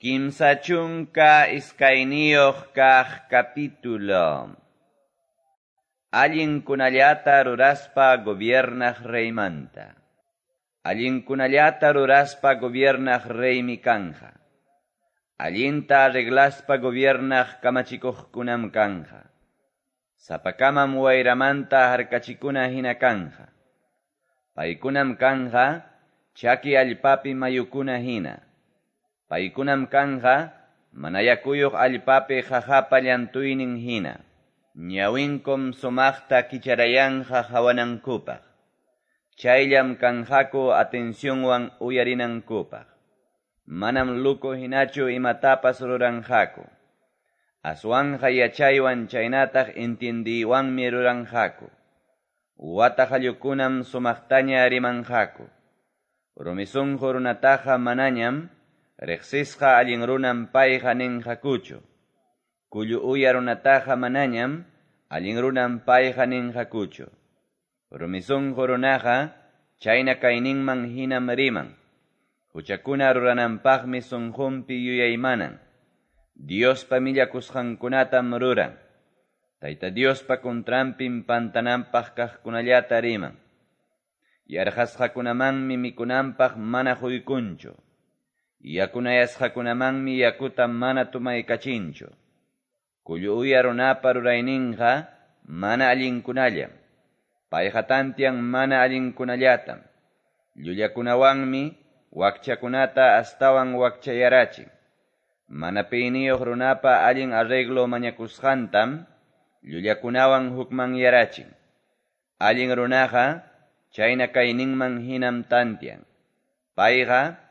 32 kaq capítulo. Allinkunallata ruraspa gobiernaq reymanta. Allinkunallata ruraspa gobiernaq reymi kanja. Allinta arreglaspa gobiernaq kamachikuqkunam kanja. Sapakamam wayramanta harkachikuna hina kanja. Paykunam kanja chaki allpapi mayukuna hina. Paykunam kanja mana yakuyuq allpapi qaqapa llantuynin hina. Ñawinkum sumaqta kicharayanja hawanankupaq. Chayllam kanjaku atencionwan uyarinankupaq. Manam luku hinachu imatapas ruranjaku. Aswanja yachaywan chaynataq entiendiywanmi ruranjaku. Wata qallukunam sumaqtaña rimanjaku. Rumisunqu runataqa manañam riqsisqa allin runam payqa ninqakuchu. Kullu uya runataqa manañam allin runam payqa ninqakuchu. Rumisunqu runaqa chayna kayninman hinam riman. Huchakuna rurananpaqmi sunqunpi yuyaymanan. Diospa millakusqankunatam ruran. Tayta Diospa contranpim pantananpaq kaqkunallata riman. Yarqasqakunamanmi mikunanpaq mana quykunchu. Yakunayasqakunamanmi yakuta mana tumaykachinchu. Kullu uya runapa rurayninqa mana allinkunallam. Payqa tantian mana allinkunallatam. Llullakunawanmi wakchakunata astawan wakchayarachin. Mana piyniyuq runapa allin arreglo mañakusqantam llullakunawan hukmanyarachin. Allin runaqa chayna kayninman hinam tantian. Payqa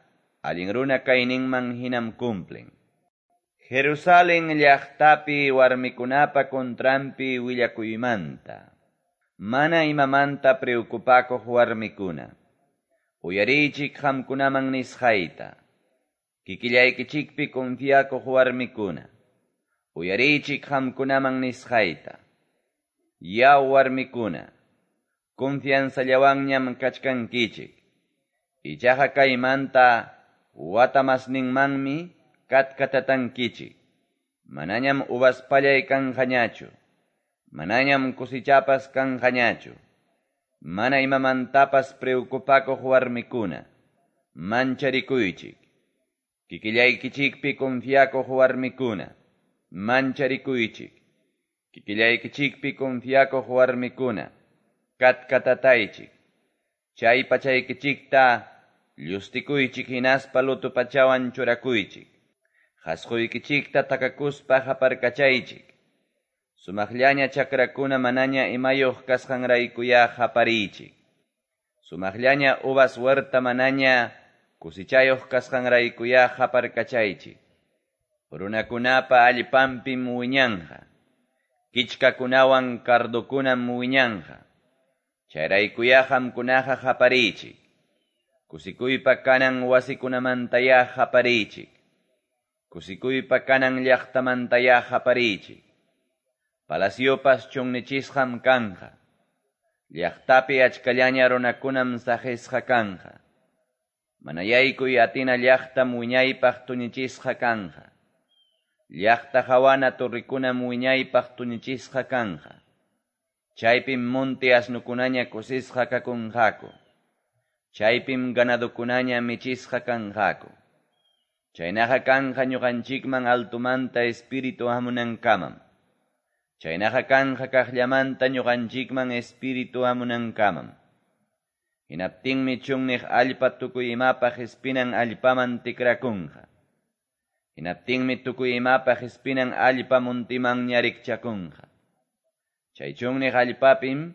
allin runa kayninman hinam cumplen. Jerusalén llaqtapi warmikunapa contranpi willakuymanta. Mana imamanta preocupakuq warmikuna. Uyariychik qamkunaman nisqayta. Kikillaykichikpi confiakuq warmikuna. Uyariychik qamkunaman nisqayta. Yaw warmikuna, confianzallawanñam kachkankichik. Ichaqa kaymanta wata masninmanmi katkatatankichik. Manañam uvas pallay kanqañachu. Manañam kusichapas kanqañachu. Mana imamantapas preocupakuq warmikuna, mancharikuychik. Kikillaykichikpi confiakuq warmikuna, mancharikuychik. Kikillaykichikpi confiakuq warmikuna, katkatataychik. Chay pachaykichikta llustikuychik hinaspa lutupachawan churakuychik. Qasquykichikta takakuspa haparkachaychik. Sumaqllaña chakrakuna manaña imayuq kasqanraykuya hapariychik. Sumaqllaña uvas huerta manaña kusichayuq kasqanraykuya haparkachaychik. Runakunapa allpanpim wiñanja. Kichkakunawan cardokunam wiñanja. Chayraykuya qamkunaqa hapariychik. Kusikuypa kanan wasikunamantaya hapariychik. Kusikuypa kanan llaqtamantaya hapariychik. Palaciopas chunnichisqam kanja. Llaqtapi achkallaña runakunam saqisqa kanja. Mana yaykuy atina llaqtam wiñaypaq tuñichisqa kanja. Llaqta hawana torrikunam wiñaypaq tuñichisqa kanja. Chaypim monte asnukunaña kusisqa kakunqaku. Chaypim ganadukunaña michisqa kanqaku. Chaynaqa kanja ñuqanchikman altumanta espíritu hamunankamam. Chaynaqa kanja kaqllamanta ñuqanchikman espíritu hamunankamam. Hinaptinmi chunniq allpa tukuy imapaq espinan allpaman tikrakunqa. Hinaptinmi tukuy imapaq espinan allpa muntimanña rikchakunqa. Chay chunniq allpapim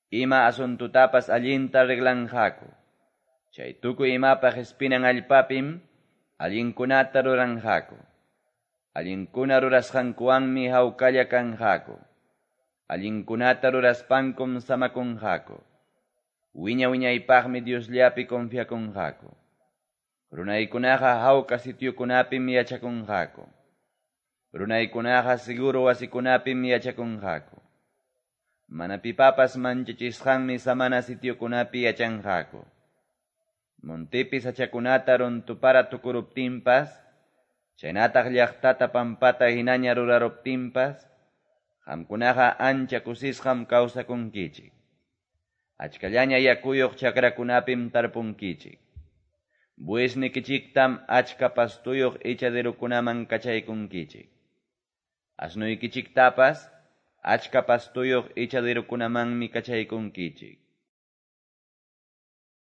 ima asuntutapas allinta arreglanqaku. Chay tukuy imapaq espinan allpapim allinkunata ruranqaku. Allinkuna rurasqankuwanmi hawkalla kanqaku. Allinkunata ruraspankum samakunqaku. Wiña wiñaypaqmi Diosllapi confiakunqaku. Runaykunaqa hawka sitiokunapim yachakunqaku. Runaykunaqa seguro wasikunapim yachakunqaku. Mana pipapas manchachisqanmi samana sitiokunapi yachanqaku. Montepi sachakunata runtupara tukuruptinpas, Chaynataq llaqtata pampata hinaña ruraruptinpas qamkunaqa ancha kusisqam kawsakunkichik. Achkallaña yakuyoq chakrakunapim tarpunkichik. Buesnikichiktam achka pastoyoq echaderokunaman kachaykunkichik. Asnoykichiktapas achka pastoyoq echaderokunamanmi kachaykunkichik.